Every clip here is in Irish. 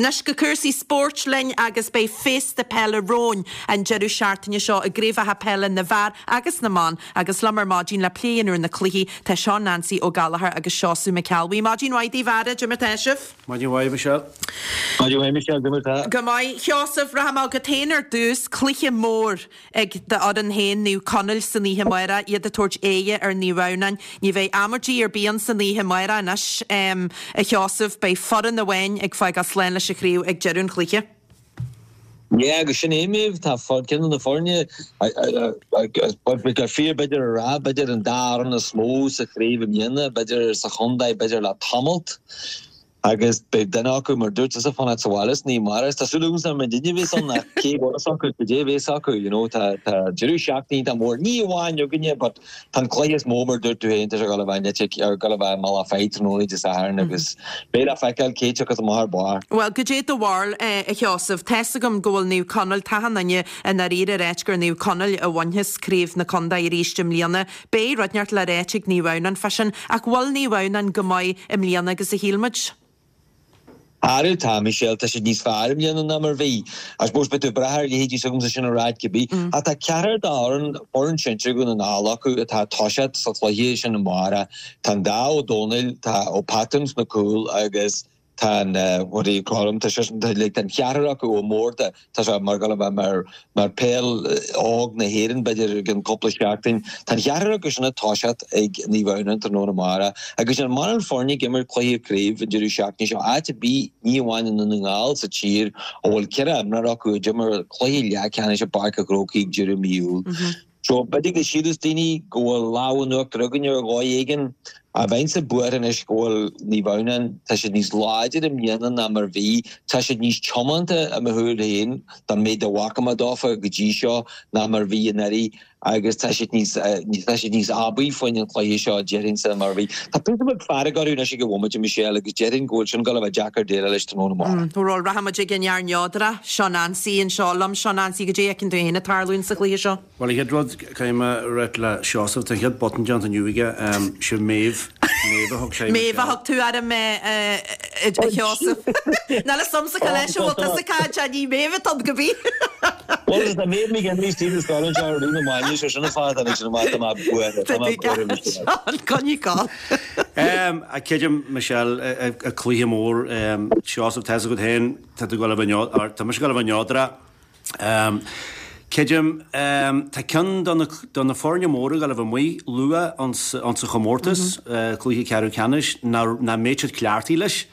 Anois go cúrsaí spóirt linn agus beidh féasta peile romhainn an deireadh seachtaine seo i gcraobhacha peile na bhfear agus na mban agus liom ar maidin le plé a dhéanamh ar na cluichí tá Seán Nancy Ó Gallchóir agus Seosamh Mac Ceallbhuí. Maidin mhaith daoibh a fheara, cad é mar tá sibh? Maidin mhaith Michelle. Maidin mhaith Michelle, cad é mar tá? Go maith. Sheosamh, rachaidh mé chugat féin ar dtús, cluiche mór. ag d'fhoireann féin, Naomh Conaill, san oíche amárach, iad ag tabhairt aghaidhe ar Naomh Adhamhnáin. Ní bheidh amaidí ar bith ann san oíche amárach anois, a Sheosaimh. Beidh foireann amháin ag fágáil slán leis an chraobh ag deireadh an chluiche. Yeah, agus sin é Méabh, tá ceann de na foirne, gur fíor b'fhéidir a rá, b'fhéidir an dá fhoireann is mó sa chraobh i mbliana, b'fhéidir sa chontae, b'fhéidir le tamalt. Agus beidh duine acu, mar dúirt tusa, fanacht sa bhaile san oíche amárach. Tá súil agamsa nach mbeidh duine a bhéas ann ach cé go bhfuil fhios acu, cad é a bhéas acu, you know, tá, tá deireadh seachtaine iontach mór, ní amháin againne but tá an cluiche is mó, mar dúirt tú féin, tá sé ag dul a bheith in Eitic, ar gul a bheith i mBealach Féich tráthnóna Dé Sathairn agus beidh le feiceáil cé tiocfas amach ar barr. Bhuel, goidé do bharúil, a Sheosaimh? Tá's agam go bhfuil Naomh Conaill, tá achan duine i ndáiríre ag ráit gur Naomh Conaill a bhainfeas craobh na contae arís i mbliana. Beidh rud inteacht le ráit ag Naomh Adhamhnáin fá sin, ach bhfuil Naomh Adhamhnáin chomh maith i mbliana agus a shíl muid? Arú tá, Michelle, tá siad níos fearr i mbliana ná mar bhí. I suppose beidh tú ag brath ar leithéidí s'agamsa sin a ráit cibé. Ach tá ceathrar d'fhoireann, foireann sinsir Dhún na nGall acu atá ag toiseacht sa chluiche sin amárach. Tá an dá Ó Dónaill, tá Ó Patún sna cúil agus Tá an, what do you call him, tá sé, tá like an cheathrar acu Ó Mórdha, tá sé mar gabháil a bheith mar, mar peil óg na hÉireann b'fhéidir i gcionn cúpla seachtain. Tá an cheathrar acu sin ag toiseacht ag Naomh Adhamhnáin tráthnóna amárach agus níl mórán foirne ag imirt cluiche craoibhe an deireadh seachtaine seo, áit ar bith, ní amháin i nDún na nGall, sa tír, a bhfuil 14 imreoir acu a d'imir cluiche leathcheannais i bPáirc an Chrócaigh ag deireadh mí Iúil. So, b'fhéidir go síleas daoine go bhfuil lámh in uachtar againn ar dhóigh éigin. Ach bheinnse buartha anois go bhfuil Naomh Adhamhnáin, tá siad níos láidre i mbliana ná mar bhí. Tá siad níos tiomanta i mo thuairim féin, don méid a bhfaca mé dófa go dtí seo, ná mar bhí anuraidh agus tá siad níos, tá siad níos aibí faoin an chluiche seo, déarfainnse, ná mar bhí. Tá píosa beag fearg orthu anois ag an bhomaite, Michelle, agus déarfainn go bhfuil sin ag dul a bheith deacair déileáil leis tráthnóna amárach. Bhuel, rachaidh muid ag an fhear neodrach, Seo Nancy anseo liom. Seo Nancy, goidé a fheiceann tú féin ag tarlúint sa chluiche seo? Bhuel, an chéad rud, caithfidh mé a ráit le Seosamh, tá an chéad botún déanta inniu aige, sé Méabh, Méabh a thug sé, Méabh a thug tú orm, a Sheosaimh. Níl fhios a'msa cá leis a bhfuil tusa ag caint, ní Méabh atá ann go bith. Bhuel, tá Méabh McGinley Stephen Scotland seo ar líne maidne, sé sin an fáth a tháinig sin amach, tá mé buartha, tá mé buartha, Michelle. Seán, coinnigh ag gabháil. Creidim, Michelle, cluiche mór, Seosamh, tá's agat féin, tá tú ag dul a bheith neodrach, tá mise ag dul a bheith neodrach. Creidim, tá ceann de na foirne móra ag dul a bheith amuigh luath ins an chomórtas, cluiche ceathrú ceannais, nach mbeidh siad cleachtaithe leis.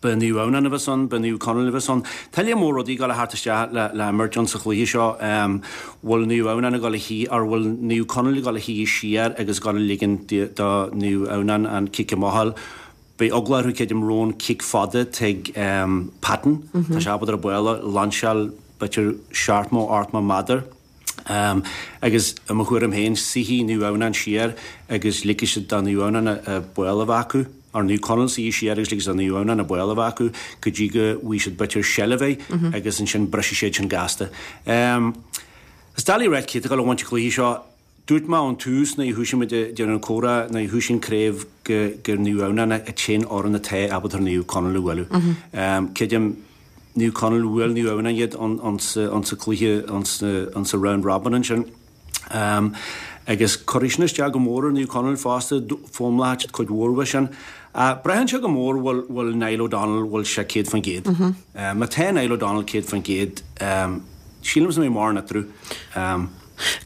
Beidh Naomh Adhamhnáin a bheas ann, beidh Naomh Conaill a bheas ann. Tá lear mór rudaí ag dul a theacht isteach le himirt ins an chluiche seo. Bhfuil Naomh Adhamhnáin ag dul a shuí, or bhfuil Naomh Conaill ag dul a shuí siar agus ag dul a ligean do Naomh Adhamhnáin an cic amach a fháil? Beidh eagla orthu creidim roimh an cic fada tigh Patton. Tá sé ábalta an ball a lainseáil b'fhéidir seachtó, ochtó méadar. Agus i mo thuairim féin, suífidh Naomh Adhamhnáin siar agus ligfidh siad do Naomh Adhamhnáin an ball a bheith acu, or Naomh Conaill suí siar agus ligfidh siad do Naomh Adhamhnáin an ball a bheith acu go dtí go bhfaighidh siad b'fhéidir seilbh air agus ansin brisfidh siad sin gasta. Is doiligh a ráit cé atá ag dul a bhaint an chluiche seo. Dúirt mé ón tús nuair a thoisigh muid ag déanamh an comhrá, nuair a thoisigh an craobh gur Naomh Adhamhnáin an t-aon fhoireann atá ábalta Naomh Conaill a bhualadh. Creidim, Naomh Conaill, bhuail Naomh Adhamhnáin iad insa cluiche, insa round robin ansin. Agus cuirfidh sin isteach go mór ar Naomh Conaill fosta, foghlaimeoidh siad cuid mhór uaidh sin. Braitheann sé go mór bhfuil Niall O'Donnell, bhfuil sé 100%. Má tá Niall O'Donnell 100%, sílim go mbeidh mórán eatarthu.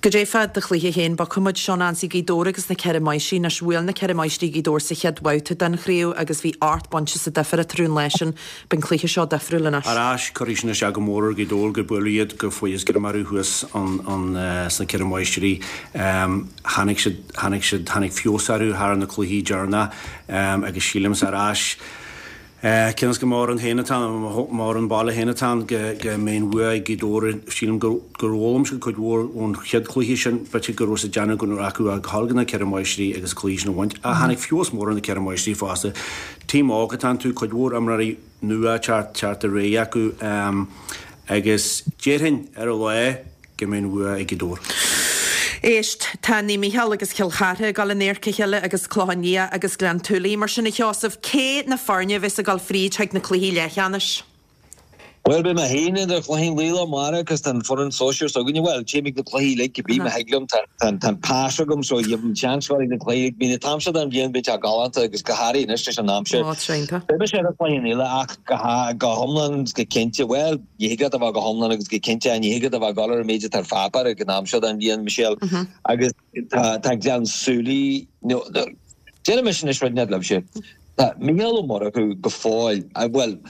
Goidé fá do chluiche féin, bogfaidh muid seo Nancy Gaoth Dobhair agus na Ceithre Máistrí. Anois, bhuail na Ceithre Máistrí Gaoth Dobhair sa chéad bhabhta den chraobh agus bhí 8 bpointe sa difear eatarthu an lá sin. Beidh an cluiche seo difriúil anois. Ar ais, cuirfidh sin isteach go mór ar Ghaoth Dobhair gur buaileadh iad, gur fuarthas greim orthu thuas sna Ceithre Máistrí. Tháinig siad, tháinig siad, tháinig feabhas orthu thar na cluichí deireanacha agus sílimse ar ais, Cionn is gur m'fhoireann féin atá ann, m'fhoireann baile féin atá ann, go mbeidh an bhua ag Gaoth Dobhair. Sílim gur fhoghlaim siad cuid mhór ón chéad chluiche sin. B'fhéidir go raibh siad ag déanamh go raibh acu a ghabháil go na Ceithre Máistrí agus an cluiche sin a bhaint. Ach tháinig feabhas mór ar na Ceithre Máistrí fosta. Team óg atá iontu, cuid mhór imreoirí nua ag teacht ar aghaidh acu agus déarfainn ar an lá, go mbeidh an bhua ag Gaoth Dobhair. Éist, tá Naomh Mícheál agus Cill Chartha ag dul in adharca a chéile agus Clochán Liath agus Gleann tSúilí. Mar sin, a Sheosaimh, cé na foirne a bheas ag dul fríd chuig na cluichí leathcheannais? Bhuel, beidh mé féin ar an Chlochán Liath amárach agus tá an foireann sóisear s'againne, bhuel, téim ag na cluichí uilig cibé má thig liom, tá an pas agam so gheibhim seans dul ag na cluichí uilig. Bíonn an t-am seo den bhliain, bíonn sé galánta agus go háirithe anois leis an aimsir. Ó, tá iontach. Beidh mise ar an Chlochán Liath ach go hiomlán is go cinnte, bhuel, ní thig leat a bheith go hiomlán agus go cinnte, ní thig leat a bheith ag dul ar an méid atá ar pháipéar ag an am seo den bhliain, Michelle, agus tá Gleann Súilí, nó, déarfaidh mise anois rud inteacht libhse, tá Mícheál Ó Murchú go fóill, bhuel,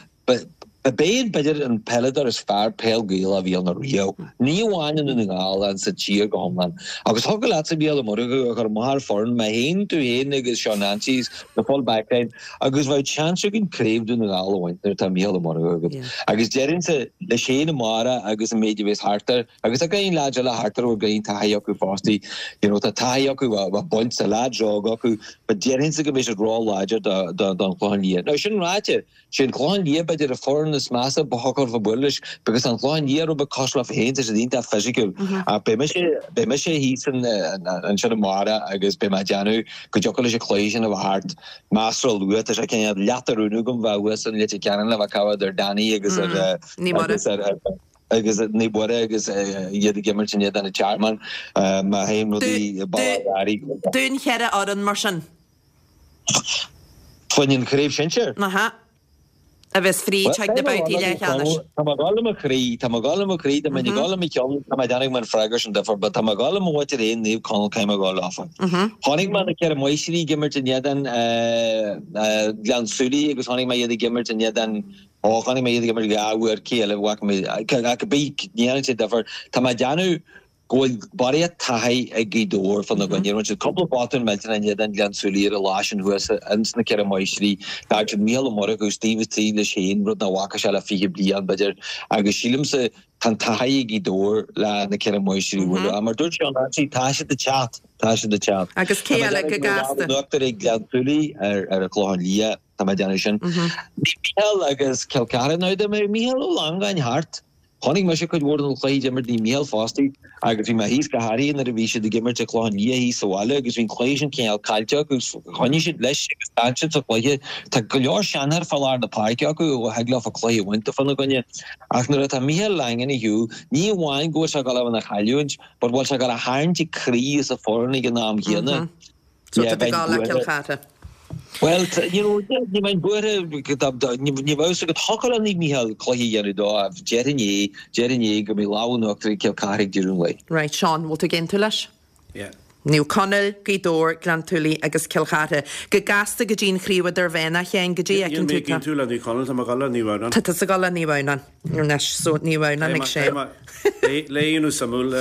Ba b'é b'fhéidir an peileadóir is fearr peil Gaelach a bhí ann ariamh, ní amháin i nDún na nGall ach sa tír go hiomlán. Agus thiocfadh leatsa Mícheál Ó Murchú a chur amach ar foireann, mé féin, tú féin agus Seán Anstey, the full backline, agus bheadh seans againn craobh Dún na nGall a bhaint nuair atá Mícheál Ó Murchú agat. Agus déarfainnse leis féin amárach agus an méid a bheas thart air, agus tá roinnt leaids eile thart air a bhfuil roinnt taithí acu fosta, you know, tá taithí acu, bheadh baint, tá leaids óga acu, but déarfainnse go mbeidh siad ró-láidir don Chlochán Liath. Now sin ráite, Sé an Clochán Liath b'fhéidir an foireann is measa ba thiocfadh leat bualadh leis because tá an Clochán Liath rud beag cosúil leofa féin, tá siad iontach fisiciúil. Ach beidh mise, beidh mise thíos ansin amárach agus beidh mé ag déanamh go dtiocfadh leis an chluiche sin a bheith thart measartha luath. Tá sé cineál leath de rún agam bheith thuas in Leitir Ceanainn le bheith ag cabhair ar Danny agus ar agus ar agus Naomh Muire agus iad ag imirt in éadan an Tearmainn. Má théann rudaí baile Átha Cliath. Dúinn cheithre fhoireann mar sin. Faoin an chraobh shinsir? Aha. A bheas fríd chuig na babhtaí leathcheannais. Tá mé ag dul le mo chroí, tá mé ag dul le mo chroí, dá mbeinn ag dul le mo cheann, tá mé ag déanamh go mbeadh an freagra sin difear, but tá mé ag dul le mo mhuintir féin, Naomh Conaill, caithfidh mé a dhul leofa. Chonaic mé na Ceithre Máistrí ag imirt in éadan Ghleann tSúilí agus chonaic mé iad ag imirt in éadan, ó, chonaic mé iad ag imirt dhá uair, cé eile a bhfaca mé, ach cibé, ní dhéanann sé difear. Tá mé ag déanamh go bhfuil barraíocht taithí ag Gaoth Dobhair fána gcoinne. Rinne siad cúpla botún millteanach in éadan Ghleann tSúilí ar an lá sin thuas ins na Ceithre Máistrí. D'fhág siad Mícheál Ó Murchú istigh istigh leis féin, rud nach bhfaca sé le 20 bliain, b'fhéidir, agus sílimse tá an taithí ag Gaoth Dobhair le na Ceithre Máistrí a bhualadh. Ach mar dúirt Seán Anstey, tá siad ag teacht, tá siad ag teacht. Agus cé eile go gasta? Tá mé ag déanamh go bhfuil lámh in uachtar ag Gleann tSúilí ar an Chlochán Liath, tá mé ag déanamh sin. Mícheál agus Cill Chartha, now dá mbeadh Mícheál Ó Longáin thart, Chonaic mise cuid mhór de na cluichí a d'imir Naomh Mícheál fosta agus bhí mé thíos go háirithe nuair a bhí siad ag imirt ag Clochán Liath thíos sa bhaile agus bhí an cluiche sin cineál caillte acu agus choinnigh siad leis agus d'fhan siad sa chluiche. Tá go leor seanfhear fá lár na páirce acu a thig leofa cluiche a bhaint fána gcoinne. Ach nuair atá Mícheál Langan ar shiúl, ní amháin go bhfuil sé ag dul a bheith ina chailliúint but bhfuil sé ag dul a tharraingt ag croí as an foireann ag an am chéanna. So tá tú ag dul le Cill Chartha. Bhuel, you know, ní bheinn buartha, ní bheadh fhios agat, thiocfadh le Naomh Mícheál cluiche a dhéanamh dó ach déarfainn é, déarfainn é go mbeidh lámh in uachtar ag Cill Chartha ag deireadh an lae. Right, Seán, bhfuil tú ag aontú leis? Yeah. Naomh Conaill, Gaoth Dobhair, Gleann tSúilí agus Cill Chartha. Go gasta go dtí an chraobh idirmheánach, a Sheáin, goidé a fheiceann tú Níl mé ag aontú le Naomh Conaill, tá mé ag dul le Naomh Adhamhnáin. Tá tusa ag dul le Naomh Adhamhnáin. Anois, so Naomh Adhamhnáin ag Séan. Léigh suimiúil,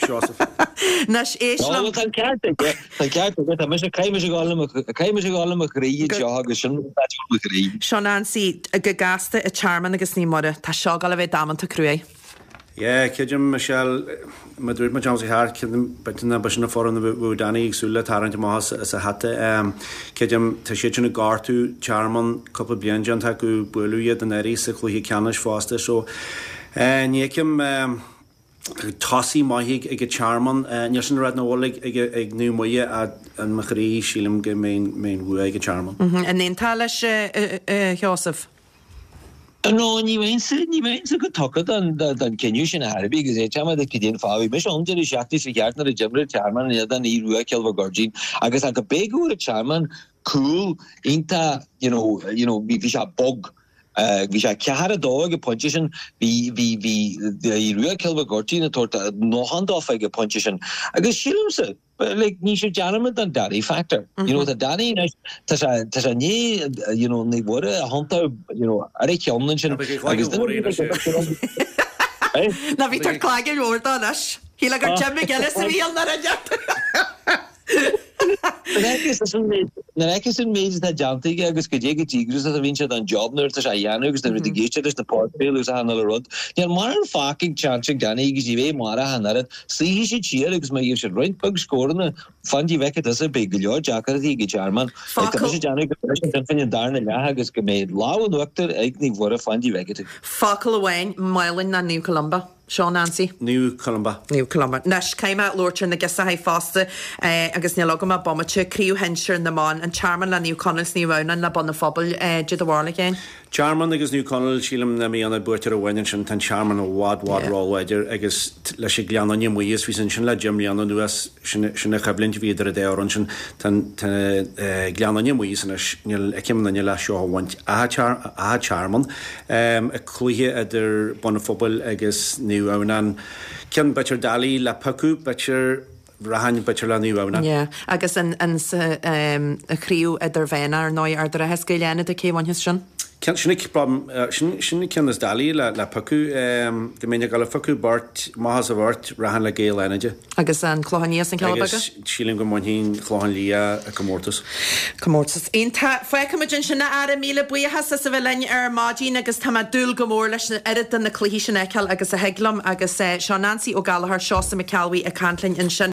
Seosamh. Anois, éist liom. Tá an ceart aige, tá an ceart aige, tá mise, caithfidh mise a dhul le mo, caithfidh mise a dhul le mo chroí anseo agus sin rud atá mo chroí. Seán Anstey, go gasta an Tearmann agus Naomh Muire, tá seo ag dul a bheith damanta cruaidh. Yeah, creidim, Michelle, mar dúirt muid am sa cheart, creidim, b'fhéidir ná b'shin an foireann a bheadh Danny ag súil le tarraingt amach as a hata. Creidim, tá siad sin ag gortú Tearmann, cúpla bliain déanta acu, buaileadh iad anuraidh sa chluiche ceannais fosta, so ní fheicim tosaí maith ag an Tearmann. Níl sin a rá nach bhfuil ag Naomh Muire ach in mo chroí sílim go mbeidh an bhua ag an Tearmann. An aontófá leis, a Sheosaimh? No, ní bheinnse, ní bheinnse chomh tugtha don, don cinneadh sin ar chor ar bith agus é téama de cad é an fáth. Bhí mise ann deireadh seachtaine seo cheart nuair a d'imir an Tearmann in éadan Aodh Rua Cill Mhic Goirdín agus ach go b'é go bhfuair an Tearmann cúl iontach, you know, you know, bhí, bhí sé bog. Bhí sé 4-2 ag an pointe sin, bhí, bhí, bhí Aodh Rua Cill Mhic Goirtín ag tabhairt ndóthain dófa ag an pointe sin agus sílimse, Like, ní sibh dearmad an Danny factor. You know, tá Danny anois, tá sé, tá sé i ndiaidh, you know, Naomh Muire a thiontú, you know, ar a cheann ansin. Agus duine Ná bhí tú ag clagadh mhór dó anois. Shíl gur Jim McGuinness a bhí ann ar an Nuair a fheiceas an méid atá déanta aige agus goidé chomh díograiseach a bhíonn sé don job nuair atá sé á dhéanamh agus nuair atá ag éisteacht leis na podchraoltaí agus achan uile rud, níl mórán fágtha ag seans ag Danny agus ní bheidh amárach ach an oiread. Suífidh siad siar agus má gheobhaidh siad roinnt beag scóranna, fan go bhfeicfidh tusa, beidh go leor deacrachtaí ag an Tearmann. Tá mise ag déanamh go mbeidh sin fán an darna leath agus go mbeidh lámh in uachtar ag Naomh Mhuire, fan go bhfeicfidh tú. Focal amháin, Málainn ná Naomh Columba. Seo Nancy. Naomh Columba. Naomh Columba. Anois, caithfidh mé labhairt ar na girseachaí fosta agus níl agam ach bomaite. Craobh Shinsir na mBan, An Tearmann le Naomh Conaill 's Naomh Adhamhnáin le Bun an Phobail. Caidé do bharúil féin. Tearmann agus Naomh Conaill, sílim dá mbeadh an buaiteoir amháin ansin, tá an Tearmann i bhfad, bhfad ró-láidir agus leis an Gleann Fhinne amuigh is bhí siad ansin le 10 mbliana anuas, sin sin an choimhlint a bhí idir an dá fhoireann sin. Tá an tá Gleann Fhinne amuigh as anois, níl fheicim aon duine le seo a bhaint as an Tearmann. An cluiche idir Bun an Phobail agus Naomh Adhamhnáin, ceann b'fhéidir doiligh le piocadh, b'fhéidir, rachainn b'fhéidir le Naomh Adhamhnáin. Yeah. Agus an an chraobh idirmheánach ar ndóigh, Ard an Rátha is Gaeil Fhánada, cé a bhainfeas sin? Ceann, sin an, sin, sin an ceann is doiligh le, le piocadh. Dá mbeinn ag dul a phiocadh beirt, amach as an bheirt, rachainn le Gaeil Fhánada. Agus an Clochán Liath is an Cealla Beaga? Agus sílim go mbainfidh an Clochán Liath an comórtas. Comórtas iontach. Fágfaimid ansin a fheara, míle buíochas as a bheith linn ar maidin agus tá mé ag dúil go mór leis an oiread de na cluichí sin a fheiceáil agus a thig liom agus seo Nancy Ó Gallchóir, Seosamh Mac Ceallbhuí ag caint linn ansin.